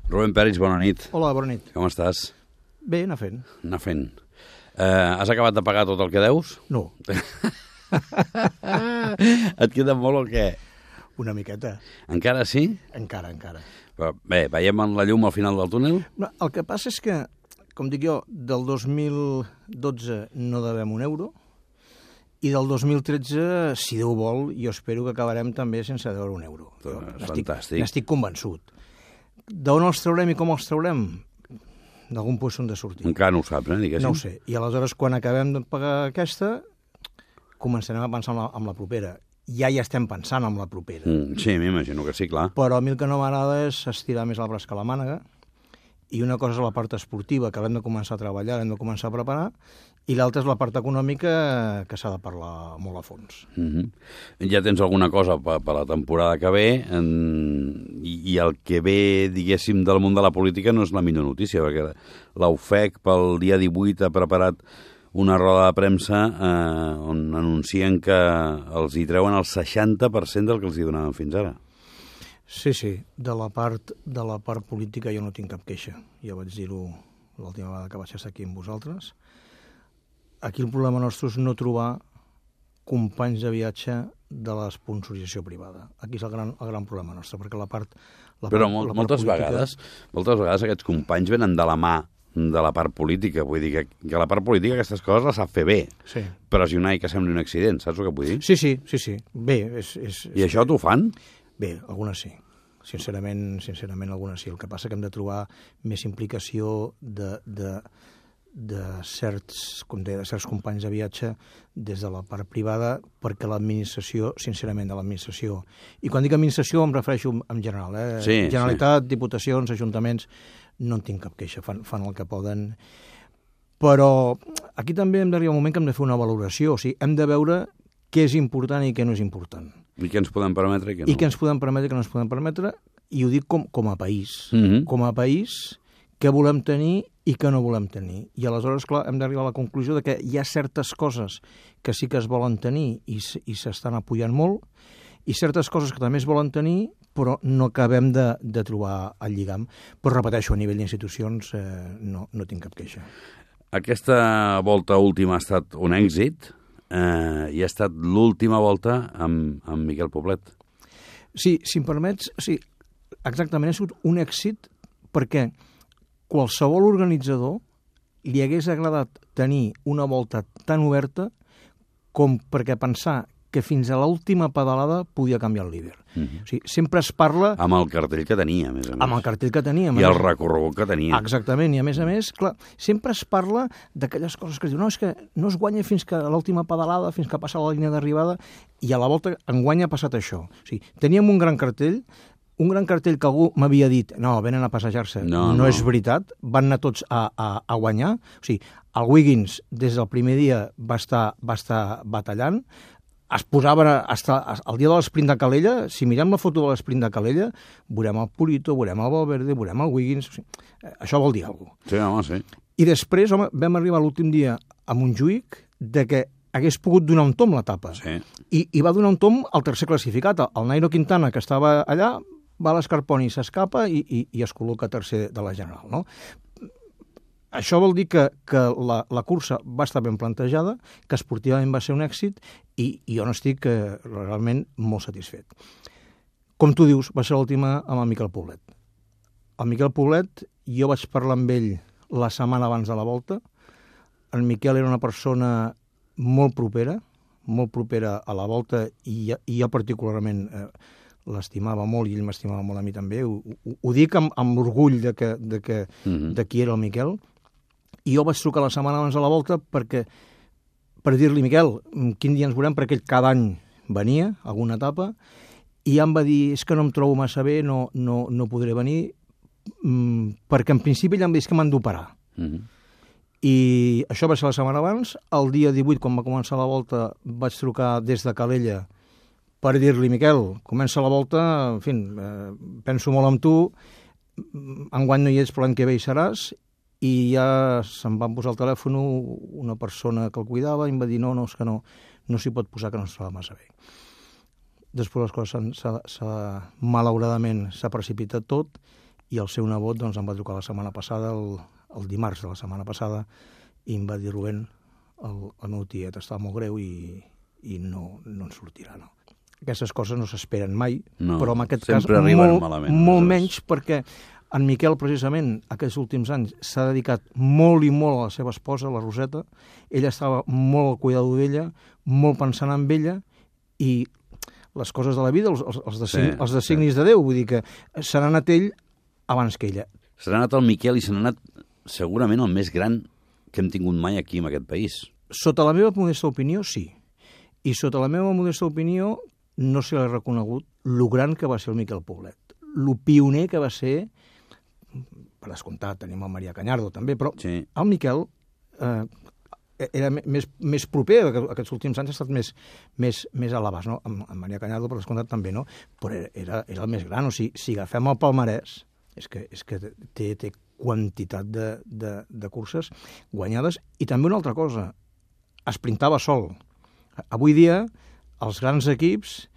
Rubén Peris, bona nit. Hola, bona nit. Com estàs? Bé, anar fent. Anar fent. Has acabat de pagar tot el que deus? No. Et queda molt o què? Una miqueta. Encara sí? Encara. Però bé, veiem la llum al final del túnel? No, el que passa és que, com dic jo, del 2012 no devem un euro i del 2013, si Déu vol, jo espero que acabarem també sense deure un euro. Fantàstic. N'estic convençut. D'on els traurem i com els traurem? D'algun lloc on de sortir. Encara no ho saps, diguéssim. No ho sé. I aleshores, quan acabem de pagar aquesta, començarem a pensar en la propera. Ja hi estem pensant en la propera. Sí, m'imagino que sí, clar. Però a mi el que no m'agrada és estirar més el braç que la mànega, i una cosa és la part esportiva, que l'hem de començar a treballar, l'hem de començar a preparar, i l'altra és la part econòmica, que s'ha de parlar molt a fons. Ja tens alguna cosa per la temporada que ve, i el que ve, diguéssim, del món de la política no és la millor notícia, perquè la UFEC pel dia 18 ha preparat una roda de premsa on anuncien que els hi treuen el 60% del que els hi donaven fins ara. Sí, de la part política jo no tinc cap queixa. Ja vaig dir-ho l'última vegada que vaig estar aquí amb vosaltres. Aquí el problema nostre és no trobar companys de viatge de l'esponsorització privada. Aquí és el gran problema nostre, perquè la part Però moltes vegades aquests companys venen de la mà de la part política. Vull dir que la part política aquestes coses les sap fer bé. Sí. Pressionar i que sembli un accident, saps el que vull dir? Sí. Bé, I això t'ho fan? Bé, algunes sí. Sincerament, algunes sí. El que passa que hem de trobar més implicació de certs companys de viatge des de la part privada, perquè l'administració, sincerament, de l'administració, i quan dic administració em refereixo en general, Sí, Generalitat, diputacions, ajuntaments, no en tinc cap queixa, fan el que poden. Però aquí també hem d'arribar a un moment que hem de fer una valoració, o sigui, hem de veure què és important i què no és important. I què ens podem permetre i què no? I què ens podem permetre i què no ens podem permetre, i ho dic com a país. Com a país, què volem tenir i què no volem tenir. I aleshores, clar, hem d'arribar a la conclusió de que hi ha certes coses que sí que es volen tenir i s'estan apoyant molt, i certes coses que també es volen tenir, però no acabem de trobar el lligam. Però repeteixo, a nivell d'institucions no tinc cap queixa. Aquesta volta última ha estat un èxit, i ha estat l'última volta amb Miquel Poblet. Sí, si em permets, sí, exactament, ha sigut un èxit perquè qualsevol organitzador li hagués agradat tenir una volta tan oberta com perquè pensar que fins a l'última pedalada podia canviar el líder. O sigui, sempre es parla... Amb el cartell que tenia, a més a més. Amb el cartell que tenia. I el recorregut que tenia. Exactament, i a més, clar, sempre es parla d'aquelles coses que es diuen, no, és que no es guanya fins que a l'última pedalada, fins que passa la línia d'arribada, i a la volta enguany ha passat això. O sigui, teníem un gran cartell que algú m'havia dit, no, venen a passejar-se. No és veritat, van anar tots a guanyar. O sigui, el Wiggins, des del primer dia, va estar batallant, es posaven el dia de l'esprint de Calella, si mirem la foto de l'esprint de Calella, veurem el Purito, veurem el Valverde, veurem el Wiggins, o sigui, això vol dir alguna cosa. Sí, home, sí. I després, vam arribar l'últim dia a Montjuïc de que hagués pogut donar un tomb l'etapa. Sí. I va donar un tomb al tercer classificat. El Nairo Quintana, que estava allà, va a l'Escarponi, s'escapa i es col·loca tercer de la general, no? Això vol dir que la cursa va estar ben plantejada, que esportivament va ser un èxit i jo n'estic realment molt satisfet. Com tu dius, va ser l'última amb el Miquel Poblet. El Miquel Poblet, jo vaig parlar amb ell la setmana abans de la volta. El Miquel era una persona molt propera a la volta i jo particularment l'estimava molt i ell m'estimava molt a mi també. Ho dic amb orgull de qui era el Miquel. I jo vaig trucar la setmana abans de la volta per dir-li, Miquel, quin dia ens veurem, perquè ell cada any venia a alguna etapa, i ja em va dir, és que no em trobo massa bé, no podré venir, perquè en principi ja em va dir que m'han d'operar. I això va ser la setmana abans. El dia 18, quan va començar la volta, vaig trucar des de Calella per dir-li, Miquel, comença la volta, en fi, penso molt en tu, enguany no hi ets, però l'any que ve hi seràs, i ja se'm va posar al telèfon una persona que el cuidava i em va dir, no, és que no s'hi pot posar, que no es troba massa bé. Després les coses malauradament s'ha precipitat tot i el seu nebot doncs, em va trucar la setmana passada, el dimarts de la setmana passada, i em va dir, Rubén, el meu tiet està molt greu i no en sortirà, no. Aquestes coses no s'esperen mai, però en aquest cas molt menys, perquè en Miquel, precisament, aquests últims anys s'ha dedicat molt i molt a la seva esposa, la Roseta. Ella estava molt al cuidado d'ella, molt pensant en ella, i les coses de la vida, els designis de Déu, vull dir que se n'ha anat ell abans que ella. Se n'ha anat el Miquel i se n'ha anat segurament el més gran que hem tingut mai aquí en aquest país. Sota la meva modesta opinió, sí. I sota la meva modesta opinió no se l'ha reconegut lo gran que va ser el Miquel Poblet, lo pioner que va ser. Per descomptat, tenim el Marià Cañardo també, però sí. El Miquel era més proper, aquests últims anys ha estat més a l'abast, no? En Marià Cañardo, per descomptat, també, no? Però era el més gran, o sigui, si agafem el palmarès, és que té quantitat de curses guanyades, i també una altra cosa, esprintava sol. Avui dia, els grans equips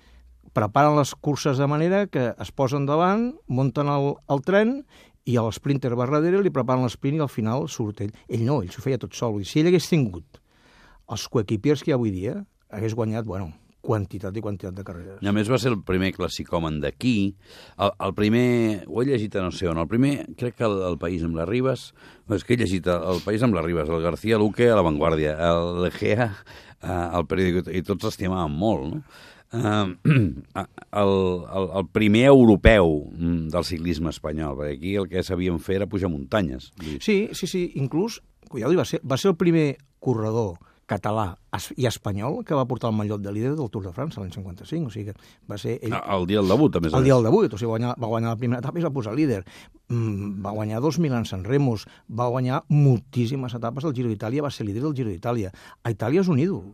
preparen les curses de manera que es posen davant, munten el tren, i l'esprinter va darrere, li preparen l'esprint i al final surt ell. Ell no, ell s'ho feia tot sol. I si ell hagués tingut els coequipiers que hi ha avui dia, hagués guanyat, quantitat i quantitat de carreres. I a més va ser el primer classicòmen d'aquí. El primer, ho he llegit a no sé on, el primer, crec que el País amb les Ribes, és que he llegit el País amb les Ribes, el García Luque a La Vanguardia, el Legea al periòdic, i tots estimaven molt, no? El primer europeu del ciclisme espanyol, perquè aquí el que sabíem fer era pujar muntanyes. Sí, inclús, va ser el primer corredor català i espanyol que va portar el mallot de líder del Tour de França l'any 55, o sigui que va ser ell... El dia del debut, a més. El dia del debut, o sigui, va guanyar la primera etapa i es va posar líder. Va guanyar 2 Milans-San Remos, va guanyar moltíssimes etapes del Giro d'Itàlia, va ser líder del Giro d'Itàlia. A Itàlia és un ídol.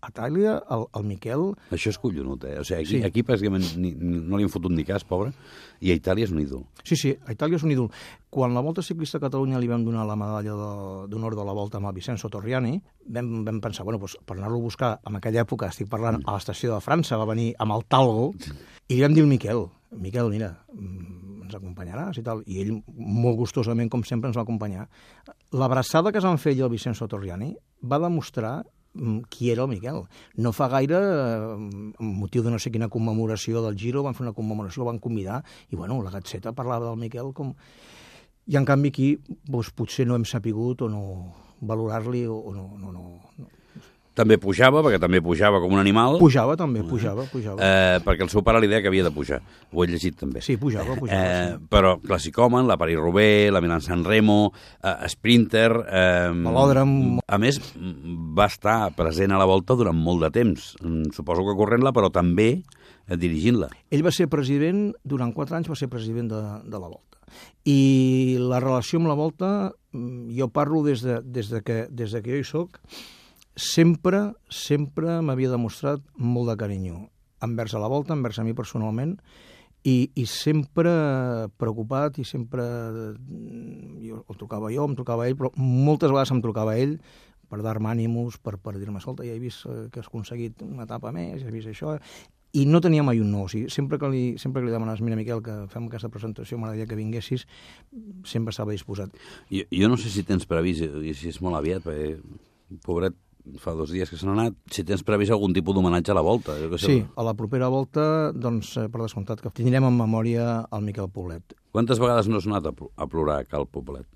A Itàlia, el Miquel... Això és collonut, O sigui, aquí pràcticament no li han fotut ni cas, pobre, i a Itàlia és un ídol. Sí, a Itàlia és un ídol. Quan la Volta Ciclista a Catalunya li vam donar la medalla d'honor de la Volta a Vincenzo Torriani, vam pensar, per anar-lo a buscar, en aquella època, estic parlant, a l'estació de França, va venir amb el Talgo, i li vam dir al Miquel, mira, ens acompanyaràs i tal, i ell molt gustosament, com sempre, ens va acompanyar. L'abraçada que es van fer ell al Vincenzo Torriani va demostrar qui era el Miquel. No fa gaire, amb motiu de no sé quina commemoració del Giro, van fer una commemoració, el van convidar, i la Gazzetta parlava del Miquel com... I en canvi aquí potser no hem sapigut o no valorar-li o no. També pujava, perquè també pujava com un animal. Pujava. Perquè el seu pare li deia que havia de pujar. Ho he llegit també. Sí, pujava. Sí. Però classicòmen, la París-Roubaix, la Milán-San Remo, Sprinter... Velòdrom... A més, va estar present a la Volta durant molt de temps. Suposo que corrent-la, però també dirigint-la. Ell va ser president, durant 4 anys va ser president de la Volta. I la relació amb la Volta, jo parlo des que jo hi soc, sempre m'havia demostrat molt de carinyo envers a la Volta, envers a mi personalment, i sempre preocupat, i sempre em trucava ell, però moltes vegades em trucava ell per dar-me ànims, per dir-me, escolta, ja he vist que has aconseguit una etapa més, ja he vist això, i no tenia mai un no. O sigui, sempre que li demanes, mira, Miquel, que fem aquesta presentació, m'agradaria que vinguessis, sempre estava disposat. Jo no sé si tens previst, i si és molt aviat, perquè, pobret, fa 2 dies que se n'ha anat, si tens previst algun tipus d'homenatge a la Volta. Sí, a la propera Volta, doncs, per descomptat, que tindrem en memòria el Miquel Poblet. Quantes vegades no has anat a plorar a Cal Poblet?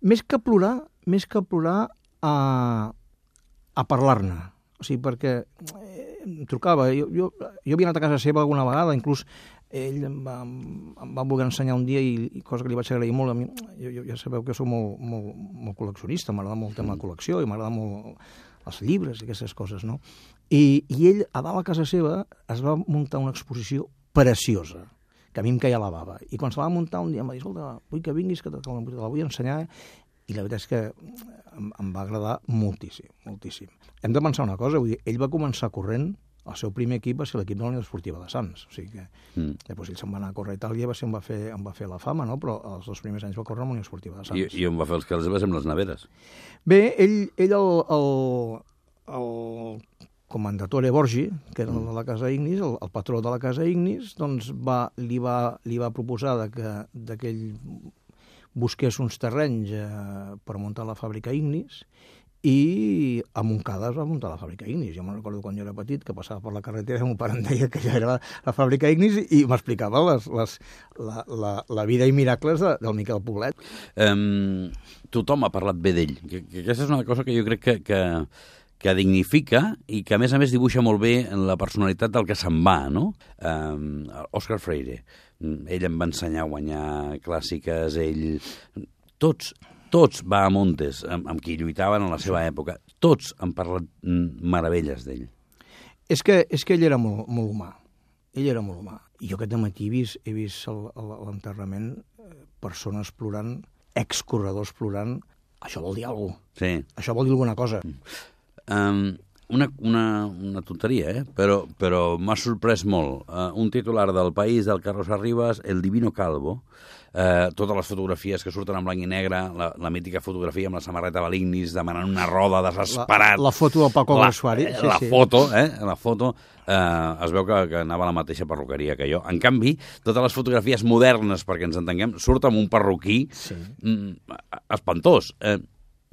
Més que plorar, a parlar-ne. O sigui, perquè em trucava, jo havia anat a casa seva alguna vegada, inclús ell em va voler ensenyar un dia, i cosa que li vaig agrair molt, a mi, jo ja sabeu que soc molt col·leccionista, m'agrada molt el tema de col·lecció, i m'agrada molt els llibres i aquestes coses, no? I ell, a dalt a casa seva, es va muntar una exposició preciosa, que a mi em caia la bava. I quan se la va muntar un dia em va dir, escolta, vull que vinguis, que te la vull ensenyar, i la veritat és que em va agradar moltíssim. Hem de pensar una cosa, vull dir, ell va començar corrent, el seu primer equip va ser l'equip de la Unió Esportiva de Sants, o sigui que després ell se'n va anar a córrer a Itàlia, em va fer la fama, no? Però els 2 primers anys va córrer amb la Unió Esportiva de Sants. I on va fer els calés amb les neveres? Bé, ell Commendatore Borgi, que era el de la Casa Ignis, el patró de la Casa Ignis, doncs li va proposar que ell busqués uns terrenys per muntar la fàbrica Ignis, i a Montcada es va muntar la fàbrica Ignis. Jo me'n recordo quan jo era petit, que passava per la carretera i mon pare em deia que ja era la fàbrica Ignis i m'explicava la vida i miracles del Miquel Poblet. Tothom ha parlat bé d'ell. Que aquesta és una cosa que jo crec que dignifica i que, a més dibuixa molt bé la personalitat del que se'n va, no? Òscar Freire. Ell em va ensenyar a guanyar clàssiques, ell... Tots va a Montes, amb qui lluitaven en la seva època. Tots han parlat meravelles d'ell. És que ell era molt humà. Ell era molt humà. I jo aquest dematí he vist l'enterrament, persones plorant, excorredors plorant. Això vol dir alguna cosa. Sí. Això vol dir alguna cosa. Una tonteria, però m'ha sorprès molt. Un titular del País, del Carlos Arribas, El Divino Calvo, totes les fotografies que surten en blanc i negre, la mítica fotografia amb la samarreta de l'Ignis demanant una roda, desesperat. La foto del Paco Grasuari. La foto, es veu que anava a la mateixa perruqueria que jo. En canvi, totes les fotografies modernes, perquè ens entenguem, surt amb un perruquí espantós.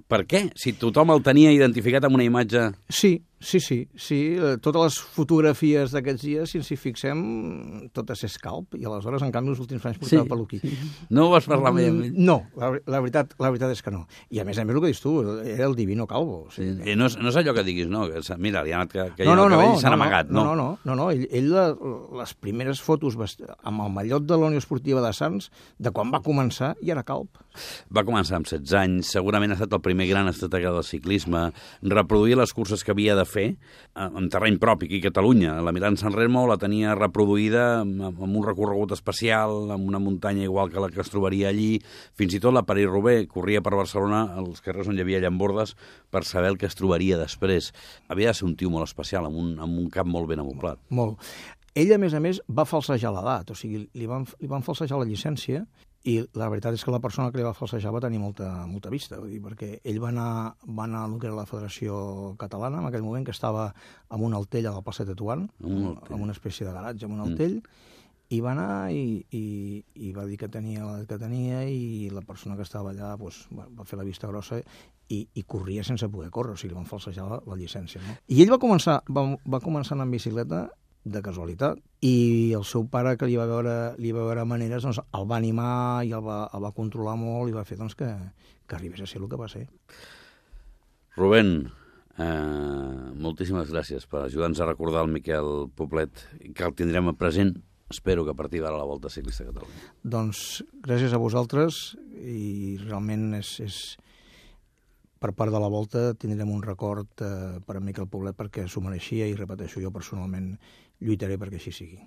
Per què? Si tothom el tenia identificat amb una imatge... Sí. Totes les fotografies d'aquests dies, si ens hi fixem, totes és calp, i aleshores, en canvi, els últims anys portava peluquí. No ho vas parlar mai amb ell? No, la veritat és que no. I a més el que dius tu, era el Divino Calvo. Sí. No és allò que diguis, no, mira, li ha anat que hi ha el cabell i s'han amagat, no? No. Ell les primeres fotos amb el mallot de la Unió Esportiva de Sants, de quan va començar, ja era calp. Va començar amb 16 anys, segurament ha estat el primer gran estratega del ciclisme, reproduir les curses que havia de fer en terreny propi aquí a Catalunya. La Milán-San Remo la tenia reproduïda amb un recorregut especial, amb una muntanya igual que la que es trobaria allí. Fins i tot la París-Roubaix corria per Barcelona, als carrers on hi havia llambordes, per saber el que es trobaria després. Havia de ser un tio molt especial, amb un cap molt ben amoblat. Molt. Ell, a més, va falsejar l'edat, o sigui, li van falsejar la llicència, i la veritat és que la persona que li va falsejar va tenir molta vista, vull dir, perquè ell va anar a el que era la Federació Catalana, en aquell moment, que estava amb un altell a la plaça Tetuan, amb una espècie de garatge amb un altell, i va anar i va dir que tenia l'edat que tenia, i la persona que estava allà va fer la vista grossa i corria sense poder córrer, o sigui, li van falsejar la llicència. No? I ell va començar anar en bicicleta de casualitat, i el seu pare, que li va veure maneres, doncs el va animar i el va controlar molt i va fer que arribés a ser el que va ser. Rubén, moltíssimes gràcies per ajudar-nos a recordar el Miquel Poblet, que el tindrem present, espero que a partir d'ara, la Volta Ciclista a Catalunya. Doncs gràcies a vosaltres, i realment per part de la Volta tindrem un record per a Miquel Poblet perquè s'ho mereixia, i repeteixo, jo personalment lluitaré perquè així sigui.